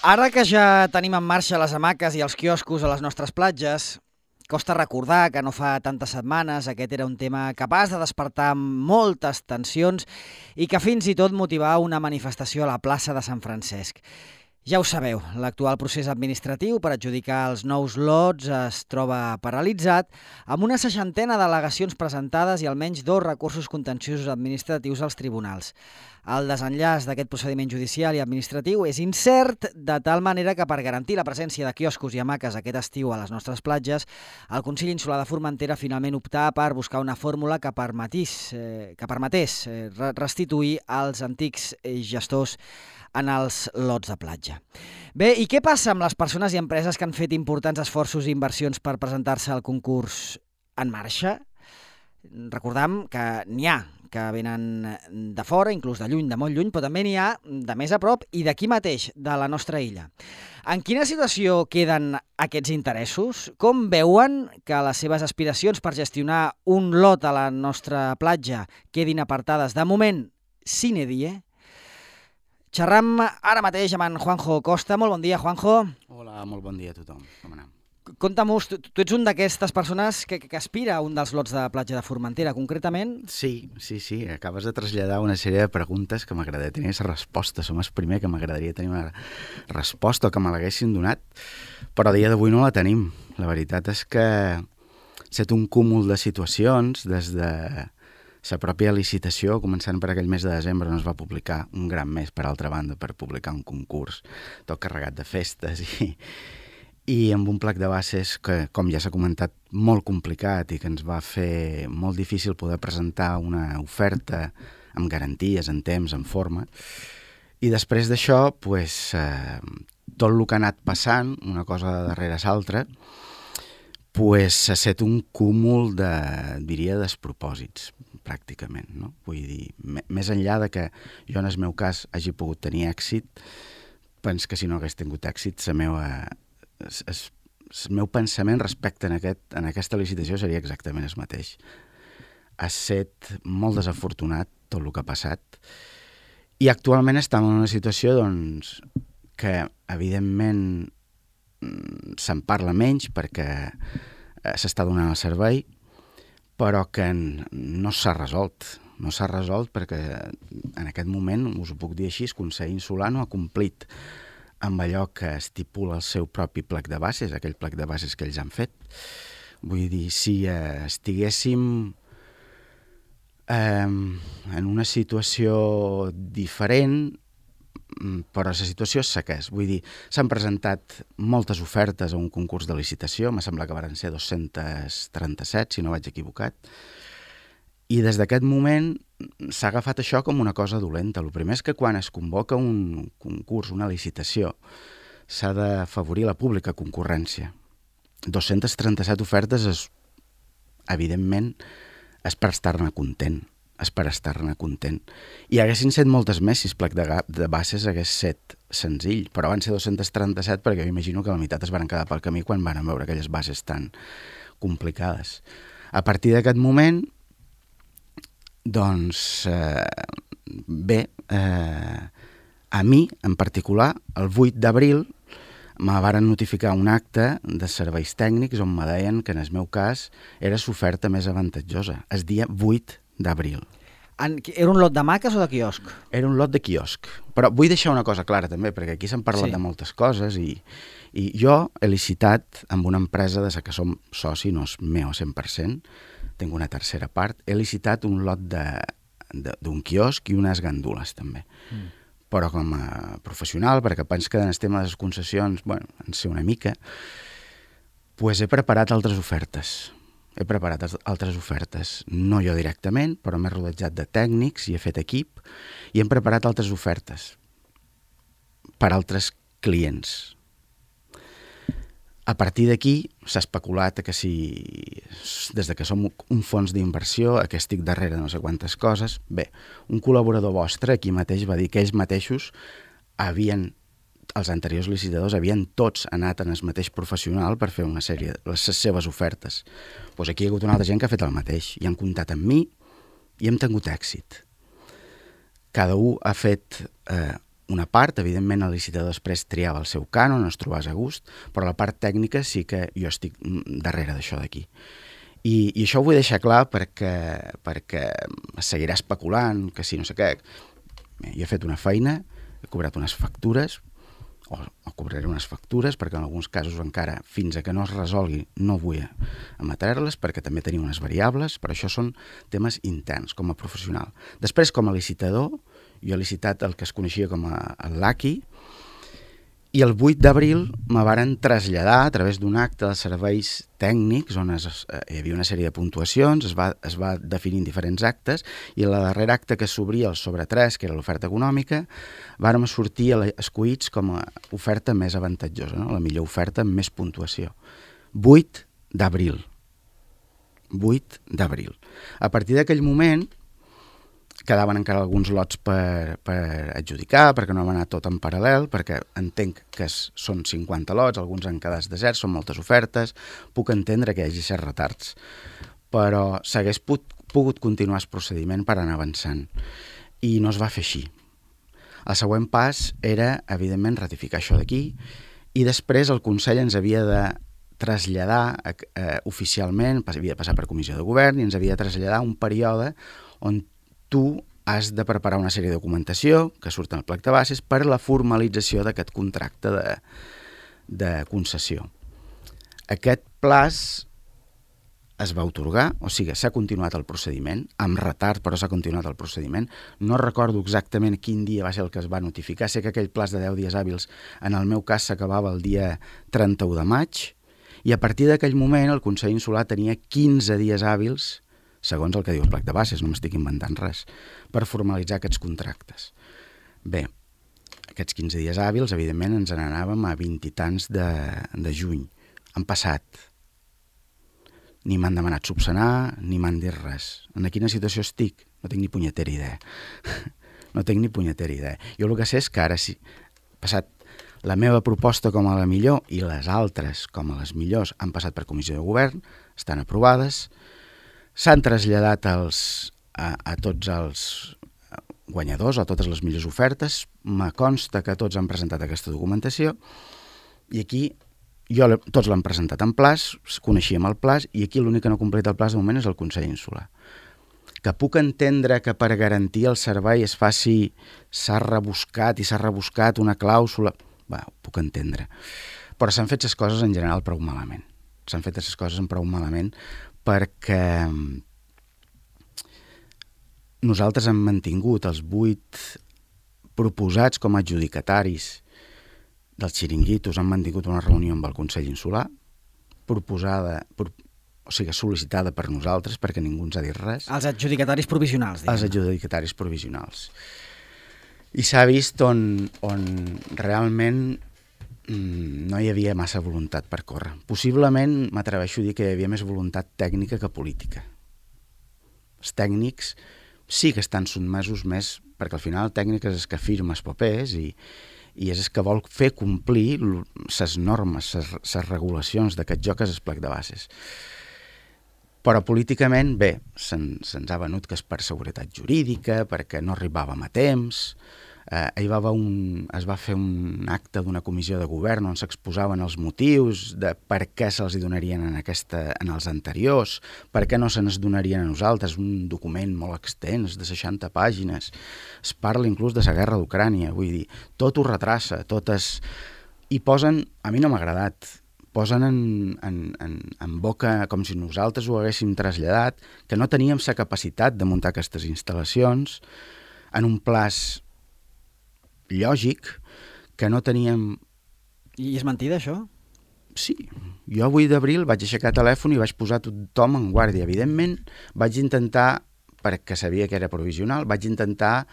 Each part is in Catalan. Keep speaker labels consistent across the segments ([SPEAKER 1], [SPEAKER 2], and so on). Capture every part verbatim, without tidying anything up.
[SPEAKER 1] Ara que ja tenim en marxa les hamaques i els quioscos a les nostres platges, costa recordar que no fa tantes setmanes aquest era un tema capaç de despertar moltes tensions i que fins i tot motivar una manifestació a la plaça de Sant Francesc. Ja ho sabeu, l'actual procés administratiu per adjudicar els nous lots es troba paralitzat amb una seixantena d'al·legacions presentades i almenys dos recursos contenciosos administratius als tribunals. El desenllaç d'aquest procediment judicial i administratiu és incert, de tal manera que per garantir la presència de quioscos i hamaques aquest estiu a les nostres platges, el Consell Insular de Formentera finalment optà per buscar una fórmula que permetís, eh, que permetés eh, restituir als antics eh, gestors en els lots de platja. Bé, i què passa amb les persones i empreses que han fet importants esforços i inversions per presentar-se al concurs en marxa? Recordam que n'hi ha que venen de fora, inclús de lluny, de molt lluny, però també n'hi ha de més a prop i d'aquí mateix, de la nostra illa. En quina situació queden aquests interessos? Com veuen que les seves aspiracions per gestionar un lot a la nostra platja quedin apartades de moment sine die? Xerram ara mateix amb en Juanjo Costa. Molt bon dia, Juanjo.
[SPEAKER 2] Hola, molt bon dia a tothom. Com anem?
[SPEAKER 1] Conta'm-us, tu, tu ets un d'aquestes persones que, que aspira a un dels lots de platja de Formentera, concretament?
[SPEAKER 2] Sí, sí, sí. Acabes de traslladar una sèrie de preguntes que m'agradaria tenir aquesta resposta. Som el primer que m'agradaria tenir una resposta o que me l'haguessin donat, però a dia d'avui no la tenim. La veritat és que ha estat un cúmul de situacions des de la pròpia licitació, començant per aquell mes de desembre on es va publicar un gran mes, per altra banda, per publicar un concurs tot carregat de festes i, i amb un plec de bases que, com ja s'ha comentat, molt complicat i que ens va fer molt difícil poder presentar una oferta amb garanties, en temps, en forma. I després d'això, pues, eh, tot el que ha anat passant, una cosa darrere l'altra, pues, s'ha set un cúmul de, diria, despropòsits, pràcticament, no? Vull dir, més enllà de que jo en el meu cas hagi pogut tenir èxit, penso que si no hagués tingut èxit, la meva, el, el meu pensament respecte en, aquest, en aquesta licitació seria exactament el mateix. Ha estat molt desafortunat tot el que ha passat i actualment estem en una situació doncs, que evidentment se'n parla menys perquè s'està donant el servei, però que no s'ha resolt. No s'ha resolt perquè en aquest moment, us ho puc dir així, el Consell Insular no ha complit amb allò que estipula el seu propi plec de bases, aquell plec de bases que ells han fet. Vull dir, si eh, estiguéssim eh, en una situació diferent, però la situació és la que és. Vull dir, s'han presentat moltes ofertes a un concurs de licitació, me sembla que van ser dos-centes trenta-set, si no vaig equivocat, i des d'aquest moment s'ha agafat això com una cosa dolenta. El primer és que quan es convoca un concurs, una licitació, s'ha d'afavorir la pública concurrència. dos-centes trenta-set ofertes, és, evidentment, és per estar-ne content. és per estar-ne content. I haguessin set moltes més si el plec de, de bases hagués set senzill, però van ser dos-centes trenta-set perquè m'imagino que la meitat es van quedar pel camí quan van veure aquelles bases tan complicades. A partir d'aquest moment, doncs, eh, bé, eh, a mi, en particular, el vuit d'abril, me varen notificar un acte de serveis tècnics on me deien que en el meu cas era l'oferta més avantatjosa, el dia vuit d'abril.
[SPEAKER 1] Era un lot de hamaques o de quiosc?
[SPEAKER 2] Era un lot de quiosc. Però vull deixar una cosa clara també, perquè aquí s'han parlat sí. de moltes coses i, i jo he licitat amb una empresa de la que som soci, no és meu cent per cent, tinc una tercera part, he licitat un lot d'un quiosc i unes gandules també. Mm. Però com a professional, perquè penso que en el tema de les concessions, bueno, en sé una mica, pues he preparat altres ofertes. He preparat altres ofertes, no jo directament, però m'he rodejat de tècnics i he fet equip i hem preparat altres ofertes per altres clients. A partir d'aquí s'ha especulat que si, des de que som un fons d'inversió, que estic darrere de no sé quantes coses, bé, un col·laborador vostre aquí mateix va dir que ells mateixos havien els anteriors licitadors havien tots anat en el mateix professional per fer una sèrie de les seves ofertes. Doncs aquí hi ha hagut una altra gent que ha fet el mateix i han comptat amb mi i hem tingut èxit. Cada un ha fet eh, una part, evidentment el licitador després triava el seu cànon, no es trobàs a gust, però la part tècnica sí que jo estic darrere d'això d'aquí. I, I això ho vull deixar clar perquè, perquè es seguirà especulant, que sí, no sé què. Jo he fet una feina, he cobrat unes factures, o, o cobraré unes factures, perquè en alguns casos encara, fins a que no es resolgui, no vull emetre-les, perquè també tenim unes variables, però això són temes interns, com a professional. Després, com a licitador, jo he licitat el que es coneixia com a el LACI, i el vuit d'abril me varen traslladar a través d'un acte de serveis tècnics on es, eh, hi havia una sèrie de puntuacions, es va, es va definir en diferents actes, i el darrer acte que s'obria, el sobre tres, que era l'oferta econòmica, vàrem sortir escollits com a oferta més avantatjosa, no? La millor oferta amb més puntuació. vuit d'abril. vuit d'abril. A partir d'aquell moment quedaven encara alguns lots per, per adjudicar, perquè no va anar tot en paral·lel, perquè entenc que es, són cinquanta lots, alguns han quedat deserts, són moltes ofertes, puc entendre que hi hagi certs retards, però s'hagués put, pogut continuar el procediment per anar avançant, i no es va fer així. El següent pas era, evidentment, ratificar això d'aquí, i després el Consell ens havia de traslladar eh, oficialment, havia de passar per comissió de govern, i ens havia de traslladar un període on tu has de preparar una sèrie de documentació que surt en el plec de bases per la formalització d'aquest contracte de, de concessió. Aquest plaç es va atorgar, o sigui, s'ha continuat el procediment, amb retard, però s'ha continuat el procediment. No recordo exactament quin dia va ser el que es va notificar, sé que aquell plaç de deu dies hàbils, en el meu cas, s'acabava el dia trenta-u de maig, i a partir d'aquell moment el Consell Insular tenia quinze dies hàbils, segons el que diu el plec de bases, no m'estic inventant res, per formalitzar aquests contractes. Bé, aquests quinze dies hàbils, evidentment, ens n'anàvem a vint i tants de, de juny. Han passat. Ni m'han demanat subsanar, ni m'han dit res. En quina situació estic? No tinc ni punyetera idea. No tinc ni punyetera idea. Jo el que sé és que ara sí, passat la meva proposta com a la millor i les altres com a les millors han passat per comissió de govern, estan aprovades, s'han traslladat els, a, a tots els guanyadors, a totes les millors ofertes, me consta que tots han presentat aquesta documentació, i aquí jo, tots l'han presentat en plaç, coneixíem el plaç, i aquí l'únic que no completa el plaç de moment és el Consell Insular. Que puc entendre que per garantir el servei es faci, s'ha rebuscat i s'ha rebuscat una clàusula, bé, ho puc entendre. Però s'han fet les coses en general prou malament. S'han fet les coses en prou malament perquè nosaltres hem mantingut els vuit proposats com a adjudicataris dels xiringuitos, han mantingut una reunió amb el Consell Insular, proposada, pro, o sigui, sol·licitada per nosaltres, perquè ningú ens ha dit res.
[SPEAKER 1] Els adjudicataris provisionals, diguem.
[SPEAKER 2] Els adjudicataris provisionals. I s'ha vist on, on realment no hi havia massa voluntat per córrer. Possiblement m'atreveixo a dir que hi havia més voluntat tècnica que política. Els tècnics sí que estan sotmesos més, perquè al final el tècnic és el que firma els papers i, i és el que vol fer complir les normes, les regulacions d'aquest joc, és el plec de bases. Però políticament, bé, se'ns se ha venut que és per seguretat jurídica, perquè no arribàvem a temps. Eh, hi va un, es va fer un acte d'una comissió de govern on s'exposaven els motius de per què se'ls donarien en, aquesta, en els anteriors, per què no se'ns donarien a nosaltres, un document molt extens de seixanta pàgines. Es parla inclús de la guerra d'Ucrània, vull dir, tot ho retrassa, tot es... I posen, a mi no m'ha agradat, posen en, en, en, en boca com si nosaltres ho haguéssim traslladat, que no teníem la capacitat de muntar aquestes instal·lacions en un plaç lògic, que no teníem...
[SPEAKER 1] I és mentida, això?
[SPEAKER 2] Sí. Jo vuit d'abril vaig aixecar telèfon i vaig posar tothom en guàrdia. Evidentment, vaig intentar, perquè sabia que era provisional, vaig intentar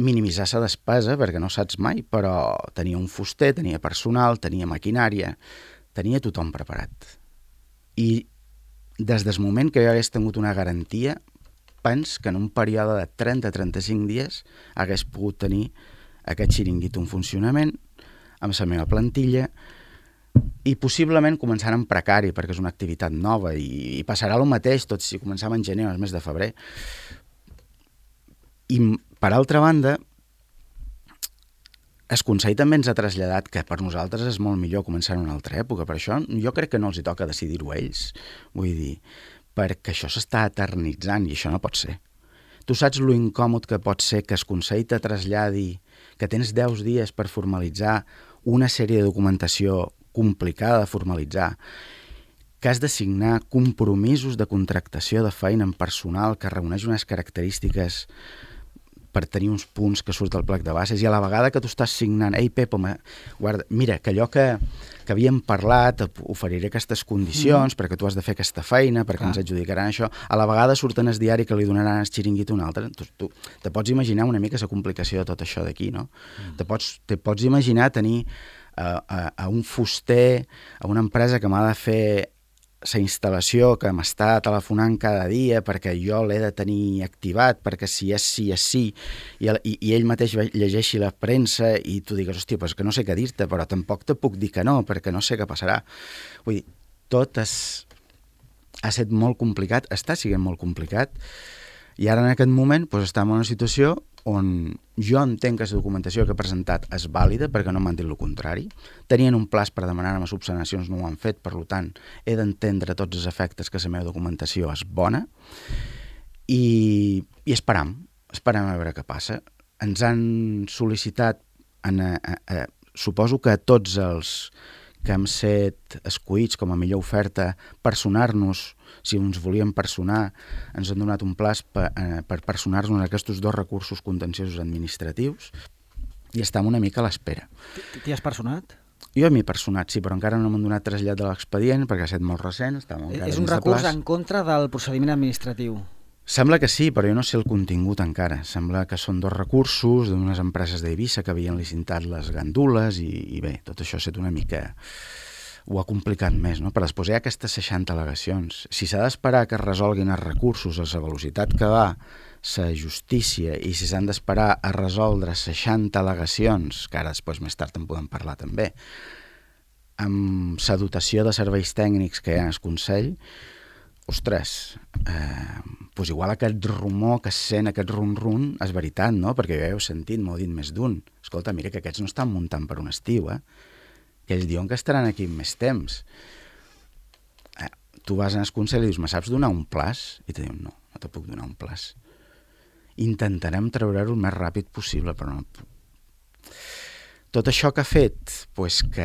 [SPEAKER 2] minimitzar la despesa, perquè no saps mai, però tenia un fuster, tenia personal, tenia maquinària, tenia tothom preparat. I des del moment que jo hagués tingut una garantia, pens que en un període de trenta a trenta-cinc dies hagués pogut tenir aquest xiringuito en funcionament, amb la meva plantilla, i possiblement començant en precari, perquè és una activitat nova, i, i passarà el mateix tot si començava en gener o el mes de febrer. I, per altra banda, el Consell també ens ha traslladat que per nosaltres és molt millor començar en una altra època. Per això jo crec que no els hi toca decidir-ho ells. Vull dir, perquè això s'està eternitzant i això no pot ser. Tu saps lo incòmod que pot ser que el Consell te traslladi que tens deu dies per formalitzar una sèrie de documentació complicada de formalitzar, que has de signar compromisos de contractació de feina en personal que reuneix unes característiques per tenir uns punts que surt al plec de bases, i a la vegada que tu estàs signant, ei Pep, home, guarda, mira, que allò que, que havíem parlat, oferiré aquestes condicions mm. perquè tu has de fer aquesta feina, perquè Clar. ens adjudicaran això, a la vegada surten el diari que li donaran el xiringuit a un altre. Tu, tu te pots imaginar una mica la complicació de tot això d'aquí, no? Mm. Te, pots, te pots imaginar tenir a, a, a un fuster, a una empresa que m'ha de fer la instal·lació, que m'està telefonant cada dia perquè jo l'he de tenir activat, perquè si és sí, és sí, i, el, i, i ell mateix llegeixi la premsa i tu digues, hòstia, pues que no sé què dir-te, però tampoc te puc dir que no, perquè no sé què passarà. Vull dir, tot és, ha estat molt complicat, està sent molt complicat, i ara en aquest moment pues, estem en una situació on jo entenc que la documentació que he presentat és vàlida, perquè no m'han dit el contrari. Tenien un plaç per demanar-me subsanacions, no ho han fet, per tant, he d'entendre tots els efectes que la meva documentació és bona, i, i esperam, esperam a veure què passa. Ens han sol·licitat, en, a, a, a, suposo que tots els que hem set escollits com a millor oferta, personar-nos, si ens volíem personar, ens han donat un plaç per, eh, per personar-nos en aquests dos recursos contenciosos administratius i estem una mica a l'espera.
[SPEAKER 1] T'hi has personat?
[SPEAKER 2] Jo m'hi he personat, sí, però encara no m'han donat trasllat de l'expedient perquè ha estat molt recent.
[SPEAKER 1] És un recurs en contra del procediment administratiu?
[SPEAKER 2] Sembla que sí, però jo no sé el contingut encara. Sembla que són dos recursos d'unes empreses d'Eivissa que havien licitat les gandules i, i bé, tot això ha estat una mica... ho ha complicat més, no? Però després hi ha aquestes seixanta al·legacions. Si s'ha d'esperar que es resolguin els recursos a la velocitat que va la justícia i si s'han d'esperar a resoldre seixanta al·legacions, que ara després més tard en podem parlar també, amb la dotació de serveis tècnics que hi ha al Consell, ostres, eh, doncs igual aquest rumor que es sent, aquest run-run, és veritat, no? Perquè jo he sentit, m'ho dit més d'un. Escolta, mira que aquests no estan muntant per un estiu, eh? Que ells diuen que estaran aquí més temps. Eh, tu vas al Consell i dius, me saps donar un plaç? I te diuen, no, no te puc donar un plaç. Intentarem treure-ho el més ràpid possible, però no... Tot això que ha fet, pues que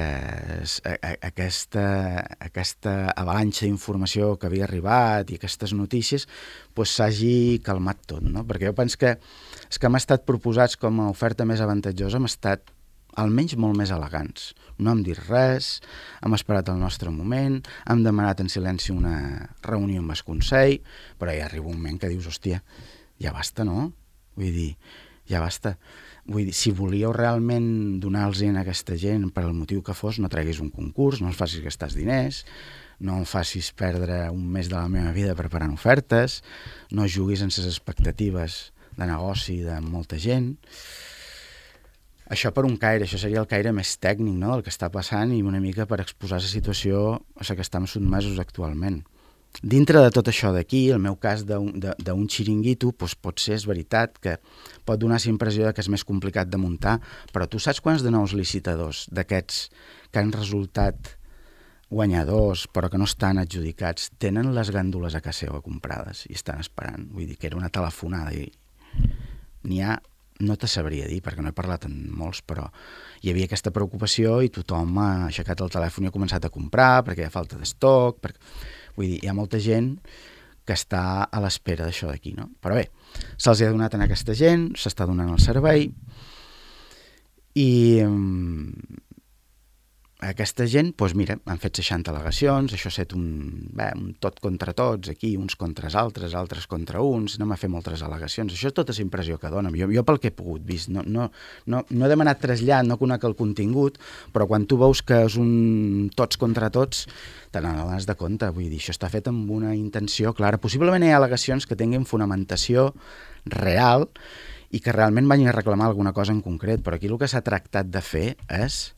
[SPEAKER 2] aquesta, aquesta avalanxa d'informació que havia arribat i aquestes notícies pues s'hagi calmat tot, no? Perquè jo penso que els que hem estat proposats com a oferta més avantatjosa hem estat almenys molt més elegants. No hem dit res, hem esperat el nostre moment, hem demanat en silenci una reunió amb el Consell, però ja arriba un moment que dius, hòstia, ja basta, no? Vull dir, ja basta. Vull dir, si volíeu realment donar-los a aquesta gent per al motiu que fos, no treguis un concurs, no els facis gastar els diners, no em facis perdre un mes de la meva vida preparant ofertes, no juguis en les expectatives de negoci de molta gent. Això per un caire, això seria el caire més tècnic, no?, del que està passant i una mica per exposar la situació a la que estem sotmesos actualment. Dintre de tot això d'aquí, el meu cas d'un xiringuito, doncs pot ser, és veritat, que pot donar la impressió que és més complicat de muntar, però tu saps quants de nous licitadors d'aquests que han resultat guanyadors però que no estan adjudicats tenen les gàndoles a casa seva comprades i estan esperant? Vull dir que era una telefonada i n'hi ha, no te sabria dir perquè no he parlat amb molts, però hi havia aquesta preocupació i tothom ha aixecat el telèfon i ha començat a comprar perquè hi ha falta d'estoc, perquè... vull dir, hi ha molta gent que està a l'espera d'això d'aquí, no? Però bé, se'ls ha donat a aquesta gent, s'està donant el servei i aquesta gent, doncs mira, han fet seixanta al·legacions, això ha estat un, bé, un tot contra tots, aquí uns contra els altres, altres contra uns, anem a fer moltes al·legacions, això és tota la impressió que dona. Jo, jo pel que he pogut vist, no, no, no, no he demanat trasllat, no conec el contingut, però quan tu veus que és un tots contra tots, te n'adones de compte, vull dir, això està fet amb una intenció clara. Possiblement hi ha al·legacions que tinguin fonamentació real i que realment vagin a reclamar alguna cosa en concret, però aquí el que s'ha tractat de fer és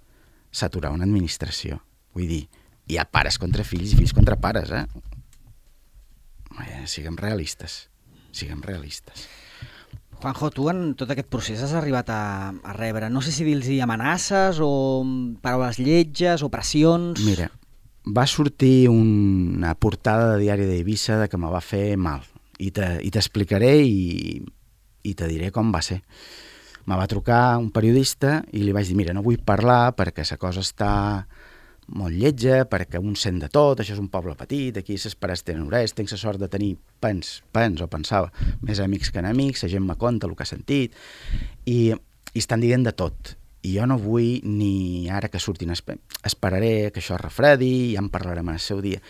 [SPEAKER 2] saturar una administració. Vull dir, hi ha pares contra fills i fills contra pares, eh? eh siguem realistes. Siguem realistes.
[SPEAKER 1] Juanjo, tu en tot aquest procés has arribat a, a rebre, no sé si dir-los amenaces o paraules lletges o pressions...
[SPEAKER 2] Mira, va sortir una portada de diari d'Eivissa de que me va fer mal i t'explicaré i, i te diré com va ser. Me va trucar un periodista i li vaig dir, mira, no vull parlar perquè la cosa està molt lletja, perquè un sent de tot, això és un poble petit, aquí ses pares tenen orelles, tinc la sort de tenir, pens, pens o pensava, més amics que enemics, la gent me conta el que ha sentit, i, i estan dient de tot. I jo no vull ni ara que surtin, esperaré que això es refredi, ja en parlarem en el seu dia.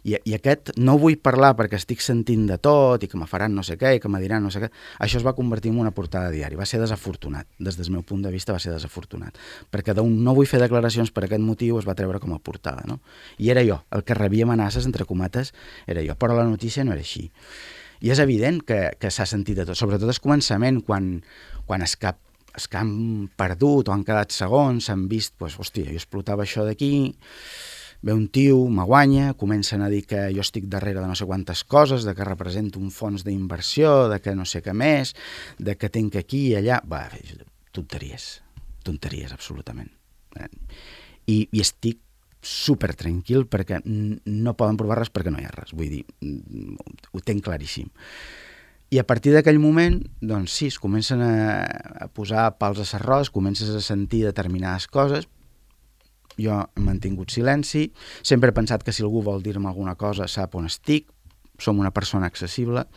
[SPEAKER 2] I, i aquest no vull parlar perquè estic sentint de tot i que me faran no sé què i que me diran no sé què, això es va convertir en una portada de diari. Va ser desafortunat, des del meu punt de vista va ser desafortunat, perquè d'un no vull fer declaracions per aquest motiu es va treure com a portada, no? I era jo, el que rebia amenaces, entre comates, era jo, però la notícia no era així. I és evident que, que s'ha sentit de tot, sobretot al començament, quan, quan es cap els que han perdut o han quedat segons, s'han vist, doncs, hòstia, jo explotava això d'aquí, ve un tio, me guanya, comencen a dir que jo estic darrere de no sé quantes coses, de que represento un fons d'inversió, de que no sé què més, de que tinc aquí i allà... Va, tonteries, tonteries, absolutament. I, i estic super tranquil perquè no poden provar res perquè no hi ha res, vull dir, ho tenc claríssim. I a partir d'aquell moment, doncs sí, es comencen a, a posar pals a s'arròs, comences a sentir determinades coses. Jo he mantingut silenci, sempre he pensat que si algú vol dir-me alguna cosa sap on estic, som una persona accessible,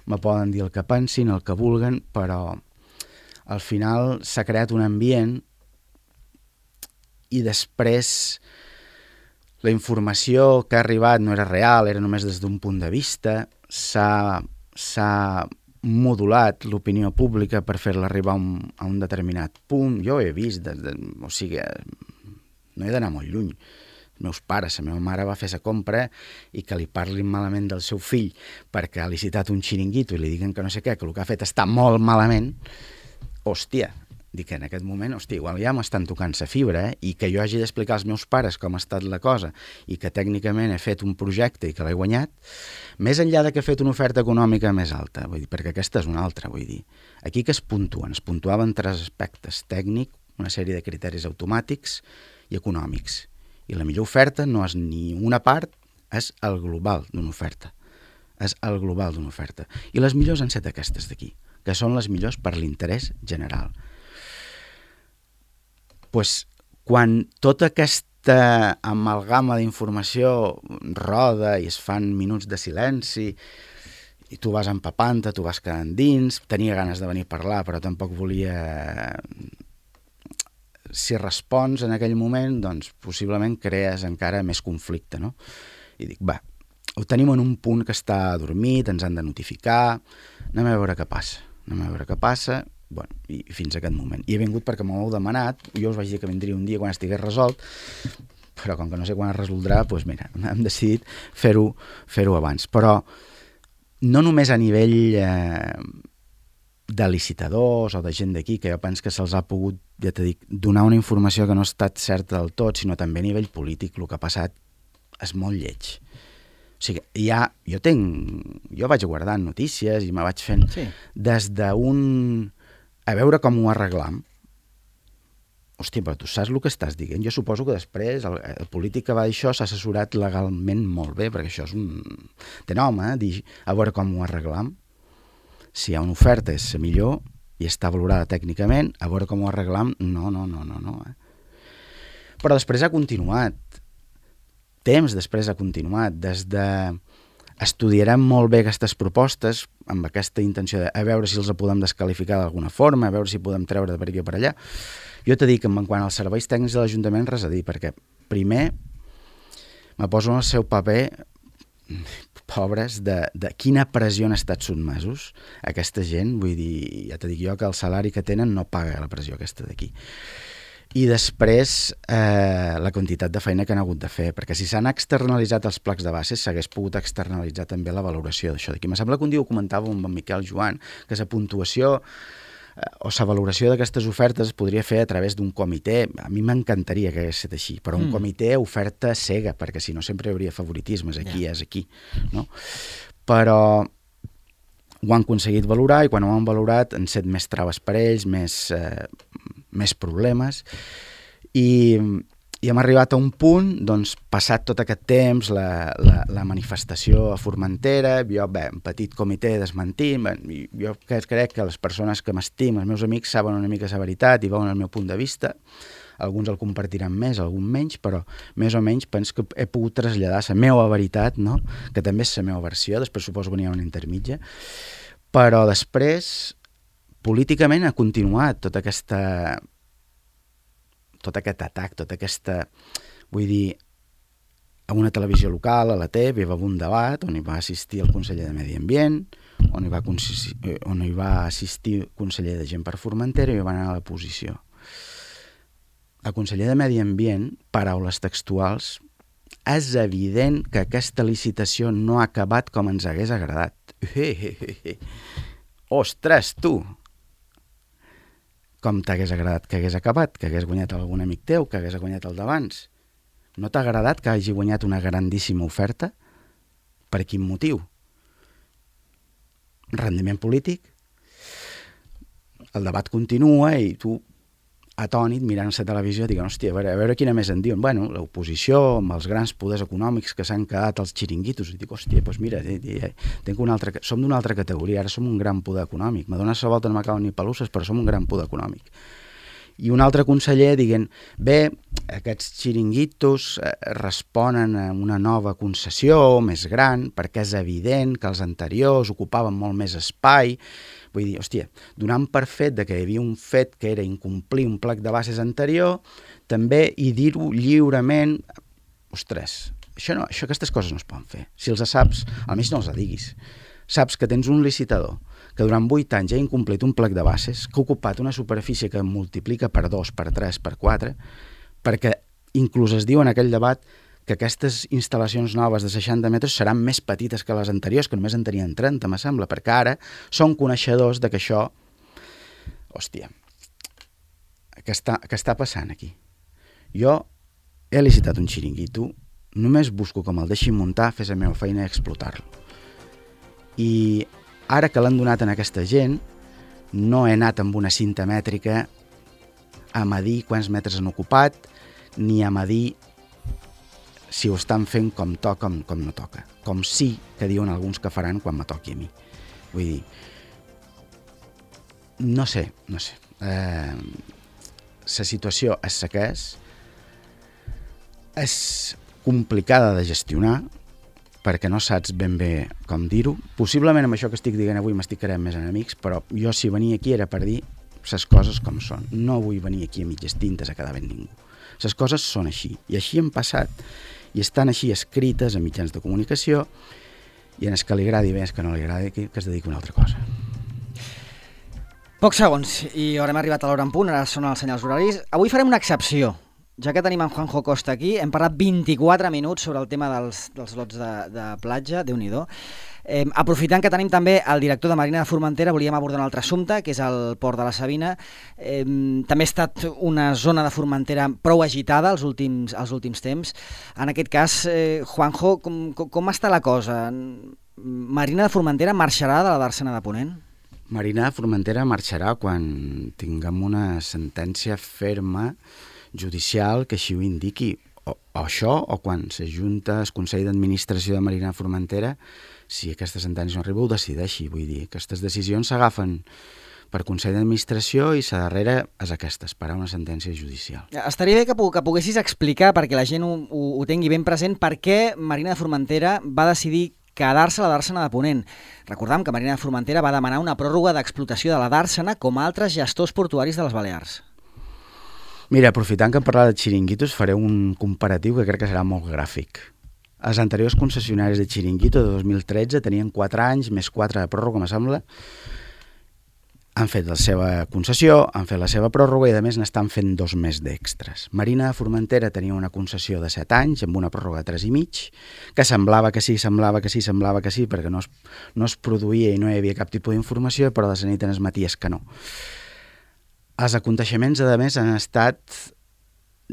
[SPEAKER 2] me poden dir el que pensin, el que vulguen, però al final s'ha creat un ambient i després la informació que ha arribat no era real, era només des d'un punt de vista, s'ha... s'ha modulat l'opinió pública per fer-la arribar a un, a un determinat punt. Jo ho he vist, de, de, o sigui, no he d'anar molt lluny. Els meus pares, la meva mare va fer la compra i que li parlin malament del seu fill perquè ha licitat un xiringuito i li diguen que no sé què, que el que ha fet està molt malament, hòstia, dic que en aquest moment, hòstia, igual ja m'estan tocant la fibra, eh? I que jo hagi d'explicar als meus pares com ha estat la cosa i que tècnicament he fet un projecte i que l'he guanyat, més enllà de que he fet una oferta econòmica més alta, vull dir, perquè aquesta és una altra, vull dir. Aquí que es puntuen? Es puntuaven tres aspectes: tècnic, una sèrie de criteris automàtics i econòmics. I la millor oferta no és ni una part, és el global d'una oferta. És el global d'una oferta. I les millors han set aquestes d'aquí, que són les millors per l'interès general. Pues, quan tota aquesta amalgama d'informació roda i es fan minuts de silenci i tu vas empapant-te, tu vas quedant dins, tenia ganes de venir a parlar però tampoc volia... Si respons en aquell moment, doncs possiblement crees encara més conflicte, no? I dic, va, ho tenim en un punt que està adormit, ens han de notificar, anem a veure què passa, anem a veure què passa... Bueno, i fins a aquest moment. I he vingut perquè m'ho heu demanat, jo us vaig dir que vindria un dia quan estigués resolt, però com que no sé quan es resoldrà, doncs mira, hem decidit fer-ho fer-ho abans. Però no només a nivell eh, de licitadors o de gent d'aquí, que jo penso que se'ls ha pogut, ja t'he dit, donar una informació que no ha estat certa del tot, sinó també a nivell polític. El que ha passat és molt lleig. O sigui, ja, jo tinc... Jo vaig guardant notícies i me vaig fent sí. Des d'un... a veure com ho arreglam. Hòstia, però tu saps el que estàs dient? Jo suposo que després el, el polític que va dir això s'ha assessorat legalment molt bé, perquè això és un... Té nom, eh? Dir, a veure com ho arreglam. Si hi ha una oferta és la millor i està valorada tècnicament, a veure com ho arreglam, no, no, no, no, no. Eh? Però després ha continuat. Temps després ha continuat. Des de... Estudiarem molt bé aquestes propostes amb aquesta intenció de a veure si els podem desqualificar d'alguna forma, a veure si podem treure de per aquí o per allà. Jo t'he dit que en quant als serveis tècnics de l'Ajuntament res a dir, perquè primer me poso en el seu paper, pobres, de, de quina pressió han estat sotmesos aquesta gent. Vull dir, ja t'he dit jo que el salari que tenen no paga la pressió aquesta d'aquí. I després eh, la quantitat de feina que han hagut de fer, perquè si s'han externalitzat els placs de bases s'hagués pogut externalitzar també la valoració d'això d'aquí. Me sembla que un dia ho comentava amb en Miquel Joan, que la puntuació eh, o la valoració d'aquestes ofertes es podria fer a través d'un comitè. A mi m'encantaria que hagués estat així, però un mm. comitè oferta cega, perquè si no sempre hi hauria favoritismes, aquí yeah. és aquí, no? Però ho han aconseguit valorar i quan ho han valorat han set més traves per ells, més, eh, més problemes i, i hem arribat a un punt, doncs, passat tot aquest temps, la, la, la manifestació a Formentera, jo, bé, un petit comitè desmentint, jo crec que les persones que m'estim, els meus amics, saben una mica la veritat i veuen el meu punt de vista. Alguns el compartiran més, algun menys, però més o menys penso que he pogut traslladar la meva veritat, no? Que també és la meva versió, després suposo que n'hi ha una intermitja, però després, políticament, ha continuat tota aquesta... tot aquest atac, tota aquesta... Vull dir, a una televisió local, a la T V, hi va haver un debat on hi va assistir el conseller de Medi Ambient, on hi va, on hi va assistir el conseller de Gent per Formentera i va anar a la posició. El conseller de Medi Ambient, paraules textuals, és evident que aquesta licitació no ha acabat com ens hagués agradat. Ostres, tu! Com t'hagués agradat que hagués acabat, que hagués guanyat algun amic teu, que hagués guanyat el d'abans. No t'ha agradat que hagi guanyat una grandíssima oferta? Per quin motiu? Rendiment polític? El debat continua i tu, atònit, mirant la televisió, diuen, hòstia, a veure, a veure quina més en diuen. Bueno, l'oposició, amb els grans poders econòmics que s'han quedat als xiringuitos, i dic, hòstia, doncs mira, tenc una altra, som d'una altra categoria, ara som un gran poder econòmic. Me dona la volta, no m'acaben ni pelusses, però som un gran poder econòmic. I un altre conseller dient, bé, aquests xiringuitos responen a una nova concessió més gran, perquè és evident que els anteriors ocupaven molt més espai. Vull dir, hòstia, donant per fet que hi havia un fet que era incomplir un plec de bases anterior, també, i dir-ho lliurement, ostres, això no, això, aquestes coses no es poden fer. Si els saps, almenys no els diguis. Saps que tens un licitador que durant vuit anys ha incomplit un plec de bases, que ha ocupat una superfície que multiplica per dos, per tres, per quatre, perquè inclús es diu en aquell debat que aquestes instal·lacions noves de seixanta metres seran més petites que les anteriors, que només en tenien trenta, me sembla, perquè ara són coneixedors de que això... Hòstia, què està, què està passant aquí? Jo he licitat un xiringuito, només busco com el deixin muntar, fer la meva feina i explotar-lo. I ara que l'han donat a aquesta gent, no he anat amb una cinta mètrica a medir quants metres han ocupat, ni a medir si ho estan fent com toca com, com no toca. Com sí que diuen alguns que faran quan me toqui a mi. Vull dir, no sé, no sé. Eh, la situació és la que és. És complicada de gestionar, perquè no saps ben bé com dir-ho. Possiblement amb això que estic dient avui m'estic creant més enemics, però jo si venia aquí era per dir les coses com són. No vull venir aquí a mitges tintes a quedar ben ningú. Les coses són així, i així han passat, i estan així escrites a mitjans de comunicació, i en el que li agradi bé, el que no li agradi, que es dediqui a una altra cosa.
[SPEAKER 1] Pocs segons, i haurem arribat a l'hora en punt, ara són els senyals horaris. Avui farem una excepció. Ja que tenim en Juanjo Costa aquí, hem parlat vint-i-quatre minuts sobre el tema dels, dels lots de, de platja, Déu-n'hi-do. Eh, aprofitant que tenim també el director de Marina de Formentera, volíem abordar un altre assumpte, que és el Port de la Sabina. Eh, també ha estat una zona de Formentera prou agitada els últims, els últims temps. En aquest cas, eh, Juanjo, com, com, com està la cosa? Marina de Formentera marxarà de la Dàrsena de Ponent?
[SPEAKER 2] Marina de Formentera marxarà quan tinguem una sentència ferma judicial que així ho indiqui, o, o això, o quan s'ajunta el Consell d'Administració de Marina de Formentera, si aquesta sentència no arriba, ho decideixi. Vull dir, aquestes decisions s'agafen per Consell d'Administració i la darrera és aquesta, esperar una sentència judicial.
[SPEAKER 1] Estaria bé que, que poguessis explicar, perquè la gent ho, ho, ho tingui ben present, per què Marina de Formentera va decidir quedar-se a la Dàrsena de Ponent. Recordam que Marina de Formentera va demanar una pròrroga d'explotació de la Dàrsena com a altres gestors portuaris de les Balears.
[SPEAKER 2] Mira, aprofitant que hem parlat de xiringuitos, faré un comparatiu que crec que serà molt gràfic. Els anteriors concessionaris de xiringuito de dos mil tretze tenien quatre anys, més quatre de pròrroga, me sembla. Han fet la seva concessió, han fet la seva pròrroga i a més n'estan fent dos més d'extres. Marina de Formentera tenia una concessió de set anys amb una pròrroga de tres i mig, que semblava que sí, semblava que sí, semblava que sí, perquè no es, no es produïa i no hi havia cap tipus d'informació, però de la nit en es maties que no. Els aconteixements, a més, han estat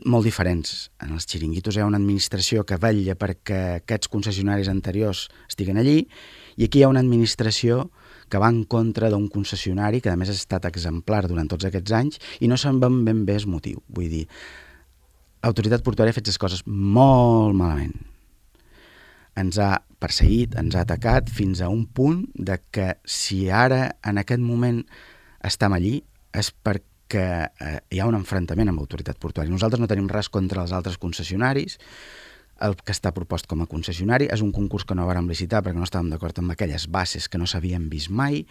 [SPEAKER 2] molt diferents. En els xiringuitos hi ha una administració que vetlla perquè aquests concessionaris anteriors estiguen allí i aquí hi ha una administració que va en contra d'un concessionari que a més ha estat exemplar durant tots aquests anys i no se'n van ben bé el motiu. Vull dir, l'autoritat portuària ha fet les coses molt malament. Ens ha perseguit, ens ha atacat fins a un punt de que si ara en aquest moment estem allí és perquè eh, hi ha un enfrontament amb l'autoritat portuària. Nosaltres no tenim res contra els altres concessionaris. El que està propost com a concessionari és un concurs que no vàrem licitar perquè no estàvem d'acord amb aquelles bases que no s'havien vist mai,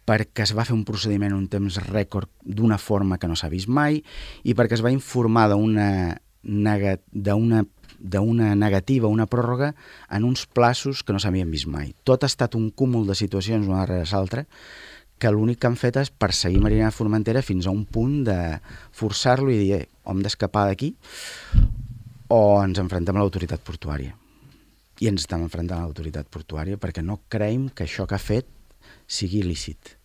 [SPEAKER 2] perquè es va fer un procediment en un temps rècord d'una forma que no s'ha vist mai i perquè es va informar d'una nega, d'una d'una negativa, una pròrroga en uns plaços que no s'havien vist mai. Tot ha estat un cúmul de situacions una darrere l'altra que l'únic que han fet és perseguir Marina de Formentera fins a un punt de forçar-lo i dir, eh, hem d'escapar d'aquí o ens enfrontem a l'autoritat portuària. I ens estem enfrontant a l'autoritat portuària perquè no creiem que això que ha fet sigui lícit.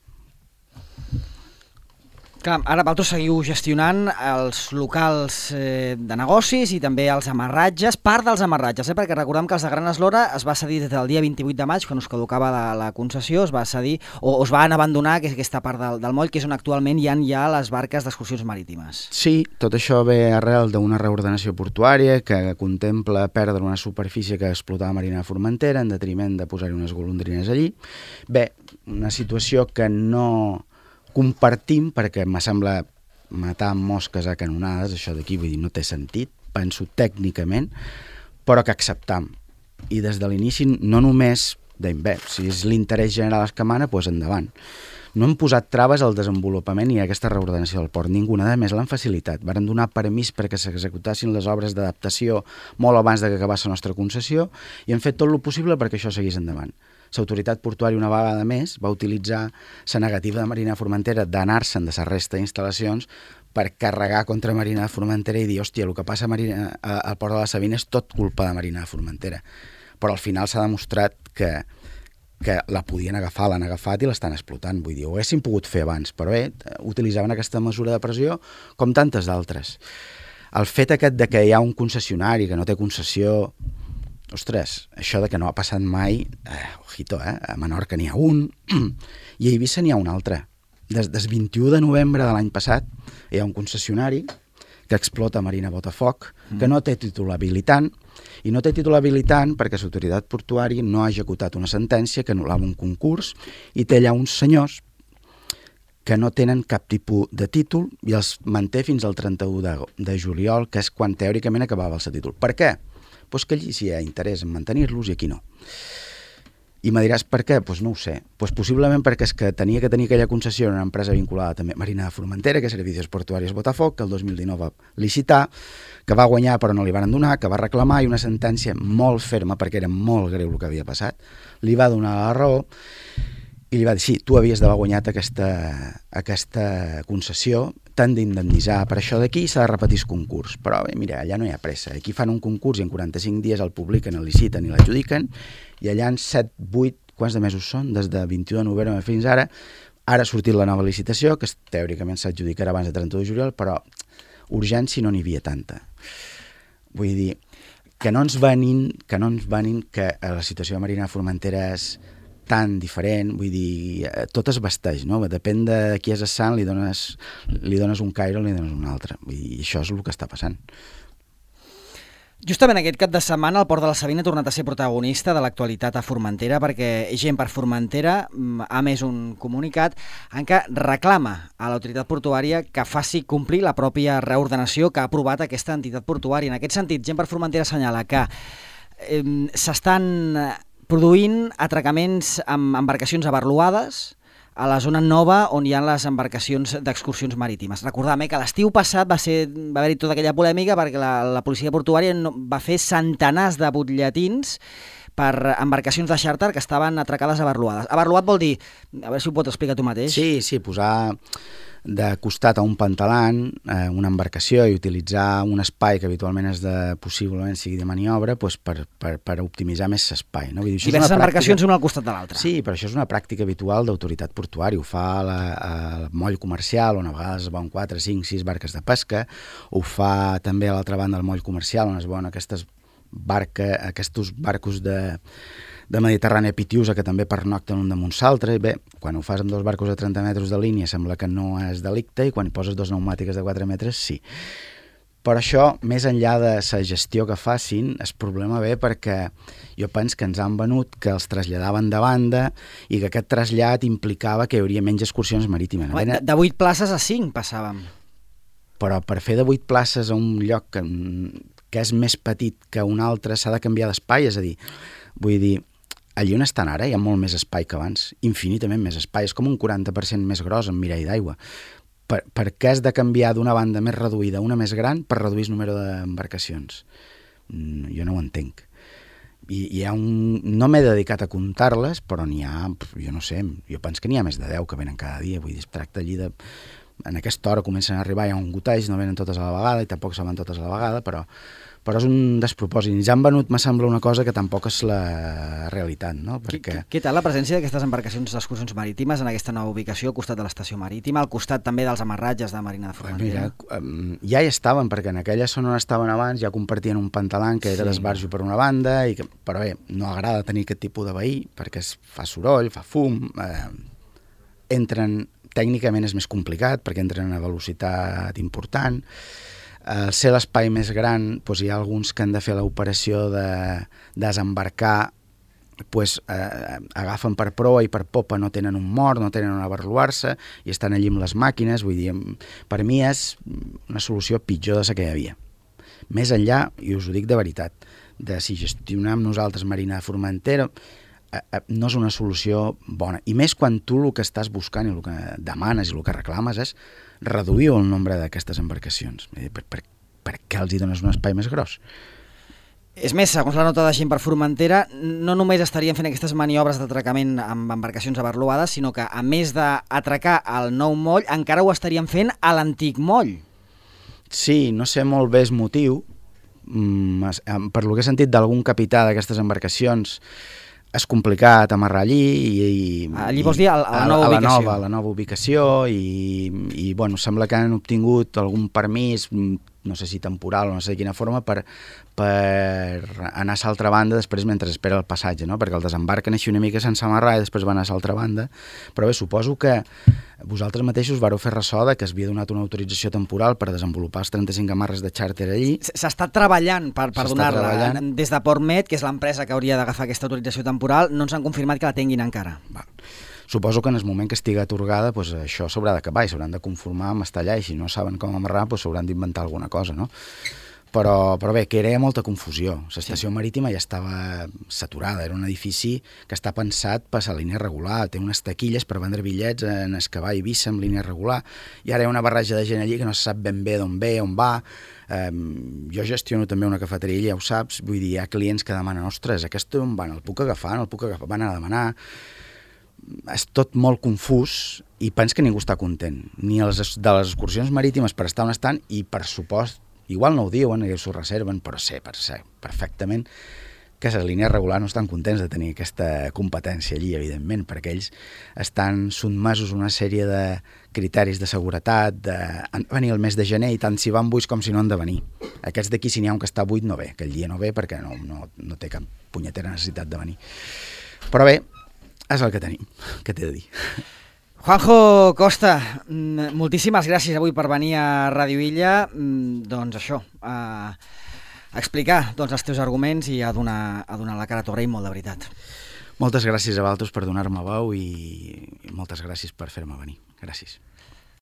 [SPEAKER 1] Clar, ara vosaltres seguiu gestionant els locals eh, de negocis i també els amarratges, part dels amarratges, eh, perquè recordem que els de Gran Eslora es va cedir des del dia vint-i-vuit de maig, quan us caducava la, la concessió, es va cedir, o es van abandonar aquesta part del, del moll, que és on actualment hi ha ja les barques d'excursions marítimes.
[SPEAKER 2] Sí, tot això ve arrel d'una reordenació portuària que contempla perdre una superfície que explotava Marina de Formentera en detriment de posar-hi unes golondrines allí. Bé, una situació que no compartim perquè me sembla matar mosques a canonades, això d'aquí, vull dir, no té sentit, penso tècnicament, però que acceptam. I des de l'inici no només deim, bé, si és l'interès general el que mana, doncs endavant. No hem posat traves al desenvolupament i a aquesta reordenació del port, ninguna, a més l'han facilitat. Varen donar permís perquè s'executassin les obres d'adaptació molt abans de que acabés la nostra concessió i han fet tot el possible perquè això seguís endavant. L'autoritat portuària una vegada més va utilitzar la negativa de Marina de Formentera d'anar-se'n de la resta d'instal·lacions per carregar contra Marina de Formentera i dir, hòstia, el que passa a Marina, a, al port de la Sabina és tot culpa de Marina de Formentera. Però al final s'ha demostrat que, que la podien agafar, l'han agafat i l'estan explotant. Vull dir, ho haguessin pogut fer abans, però bé, utilitzaven aquesta mesura de pressió com tantes d'altres. El fet aquest de que hi ha un concessionari que no té concessió, ostres, això de que no ha passat mai, eh, ojito, eh, a Menorca n'hi ha un, i a Eivissa n'hi ha un altre. Des del vint-i-u de novembre de l'any passat hi ha un concessionari que explota Marina Botafoc, que no té títol habilitant, i no té títol habilitant perquè l'autoritat portuària no ha executat una sentència que anul·lava un concurs i té allà uns senyors que no tenen cap tipus de títol i els manté fins al trenta-u de, de juliol, que és quan teòricament acabava el seu títol. Per què? Pues que allí sí hi ha interès en mantenir-los i aquí no. I me diràs per què? Pues no ho sé. Pues possiblement perquè és que tenia que tenir aquella concessió en una empresa vinculada també a Marina de Formentera, que és Servicios Portuaris Botafoc, que el dos mil dinou va licitar, que va guanyar però no li van donar, que va reclamar i una sentència molt ferma, perquè era molt greu el que havia passat, li va donar la raó i li va dir, sí, tu havies d'haver guanyat aquesta, aquesta concessió, t'han d'indemnitzar per això d'aquí i s'ha de repetir el concurs. Però bé, mira, allà no hi ha pressa. Aquí fan un concurs i en quaranta-cinc dies el publiquen, el liciten i l'adjudiquen, i allà en set, vuit, quants de mesos són? Des de vint-i-u de novembre fins ara. Ara ha sortit la nova licitació, que teòricament s'adjudicarà abans de trenta-u de juliol, però urgència no n'hi havia tanta. Vull dir, que no ens venin, que no ens venin que la situació de Marina de Formentera és tan diferent, vull dir, tot es vesteix, no? Depèn de qui és el sant, li dones, li dones un caire o li dones un altre. Vull dir, això és el que està passant.
[SPEAKER 1] Justament aquest cap de setmana el Port de la Sabina ha tornat a ser protagonista de l'actualitat a Formentera perquè Gent per Formentera ha emès un comunicat en què reclama a l'autoritat portuària que faci complir la pròpia reordenació que ha aprovat aquesta entitat portuària. En aquest sentit, Gent per Formentera assenyala que eh, s'estan produint atracaments amb embarcacions abarluades a la zona nova on hi ha les embarcacions d'excursions marítimes. Recordem eh, que l'estiu passat va, ser, va haver-hi tota aquella polèmica perquè la, la policia portuària no, va fer centenars de butlletins per embarcacions de xàrter que estaven atracades abarluades. Abarluat vol dir, a veure si ho pots explicar tu mateix.
[SPEAKER 2] Sí, sí, posar de costat a un pantalant eh, una embarcació i utilitzar un espai que habitualment és de, possiblement sigui de maniobra, pues per, per, per optimitzar més l'espai. No?
[SPEAKER 1] Diverses pràctica... embarcacions una al costat de l'altra.
[SPEAKER 2] Sí, però això és una pràctica habitual d'autoritat portuària. Ho fa la, al moll comercial, on a vegades es veuen quatre, cinc, sis barques de pesca, ho fa també a l'altra banda del moll comercial, on es veuen aquestes barca, aquests barcos de de Mediterrània a Pitiusa, que també pernocten un damunt l'altre. Bé, quan ho fas amb dos barcos de trenta metres de línia sembla que no és delicte, i quan hi poses dos pneumàtiques de quatre metres, sí. Per això, més enllà de la gestió que facin, el problema ve perquè jo penso que ens han venut que els traslladaven de banda i que aquest trasllat implicava que hi hauria menys excursions marítimes.
[SPEAKER 1] De, de vuit places a cinc passàvem.
[SPEAKER 2] Però per fer de vuit places a un lloc que, que és més petit que un altre s'ha de canviar d'espai, és a dir, vull dir, allí on estan ara hi ha molt més espai que abans, infinitament més espai, és com un quaranta per cent més gros en mirall d'aigua. Per, per què has de canviar d'una banda més reduïda a una més gran per reduir el número d'embarcacions? Mm, jo no ho entenc. I, hi ha un... No m'he dedicat a comptar-les, però n'hi ha, jo no sé, jo penso que n'hi ha més de deu que venen cada dia, vull dir, es tracta allí de... En aquesta hora comencen a arribar, hi ha un goteig, no venen totes a la vegada, i tampoc se van totes a la vegada, però, però és un despropòsit. Ja han venut, me sembla, una cosa que tampoc és la realitat, no? Perquè...
[SPEAKER 1] Què tal la presència d'aquestes embarcacions d'excursions marítimes en aquesta nova ubicació, al costat de l'estació marítima, al costat també dels amarratges de Marina de Formentera?
[SPEAKER 2] Mira, ja hi estaven, perquè en aquella zona on estaven abans ja compartien un pantalan que era sí. d'esbarjo per una banda, i que, però bé, no agrada tenir aquest tipus de veí, perquè es fa soroll, fa fum, eh, entren... Tècnicament és més complicat perquè entren a velocitat important. Al ser l'espai més gran, doncs hi ha alguns que han de fer l'operació de desembarcar, doncs, eh, agafen per proa i per popa, no tenen un mort, no tenen on abarluar-se i estan allí amb les màquines. Vull dir, per mi és una solució pitjor de la que hi havia. Més enllà, i us ho dic de veritat, de si gestionem nosaltres Marina de Formentera, no és una solució bona. I més quan tu el que estàs buscant i el que demanes i el que reclames és reduir el nombre d'aquestes embarcacions. Per, per, per què els hi dones un espai més gros?
[SPEAKER 1] És més, segons la nota de Gent per Formentera, no només estarien fent aquestes maniobres d'atracament amb embarcacions abarluades, sinó que, a més d'atracar al nou moll, encara ho estarien fent a l'antic moll.
[SPEAKER 2] Sí, no sé molt bé el motiu. Per lo que he sentit d'algun capità d'aquestes embarcacions, és complicat amarrar allí i, i,
[SPEAKER 1] allí vols dir a, a la nova
[SPEAKER 2] a, a
[SPEAKER 1] ubicació
[SPEAKER 2] la nova, a la nova ubicació i, i bueno, sembla que han obtingut algun permís, no sé si temporal o no sé de quina forma, per, per anar a l'altra banda després mentre espera el passatge, no? Perquè el desembarquen així una mica sense amarrar i després van a l'altra banda. Però bé, suposo que vosaltres mateixos vareu fer ressò de que es havia donat una autorització temporal per desenvolupar els trenta-cinc amarres de xàrter allí.
[SPEAKER 1] S'està treballant per, per donar-la. Des de Portmet, que és l'empresa que hauria d'agafar aquesta autorització temporal, no ens han confirmat que la tinguin encara.
[SPEAKER 2] Va. Suposo que en el moment que estigui atorgada, doncs això s'haurà d'acabar i s'hauran de conformar amb estar allà, i si no saben com amarrar, doncs s'hauran d'inventar alguna cosa, no? Però, però bé, que era molta confusió. L'estació sí. marítima ja estava saturada, era un edifici que està pensat per a línia regular, té unes taquilles per vendre bitllets en escavar i Eivissa amb línia regular, i ara hi ha una barreja de gent allí que no se sap ben bé d'on ve, on va. Um, jo gestiono també una cafeteria, ja ho saps, vull dir, hi ha clients que demanen, ostres, aquest on van, el puc agafar, no el puc agafar, van a demanar... És tot molt confús i penso que ningú està content, ni els, de les excursions marítimes per estar on estan, i per supost, igual no ho diuen, i s'ho reserven, però sé, per ser perfectament que les línies regulars no estan contents de tenir aquesta competència allí, evidentment, perquè ells estan sotmesos a una sèrie de criteris de seguretat, de venir el mes de gener i tant si van buits com si no han de venir. Aquests d'aquí, si n'hi ha un que està buit, no ve, aquell dia no ve perquè no, no, no té cap punyetera necessitat de venir. Però bé, és el que tenim, què t'he de dir.
[SPEAKER 1] Juanjo Costa, moltíssimes gràcies avui per venir a Ràdio Illa, doncs això, a, a explicar doncs, els teus arguments i a donar, a donar la cara. T'ho agraïm molt, de veritat.
[SPEAKER 2] Moltes gràcies a vosaltres per donar-me veu i moltes gràcies per fer-me venir. Gràcies.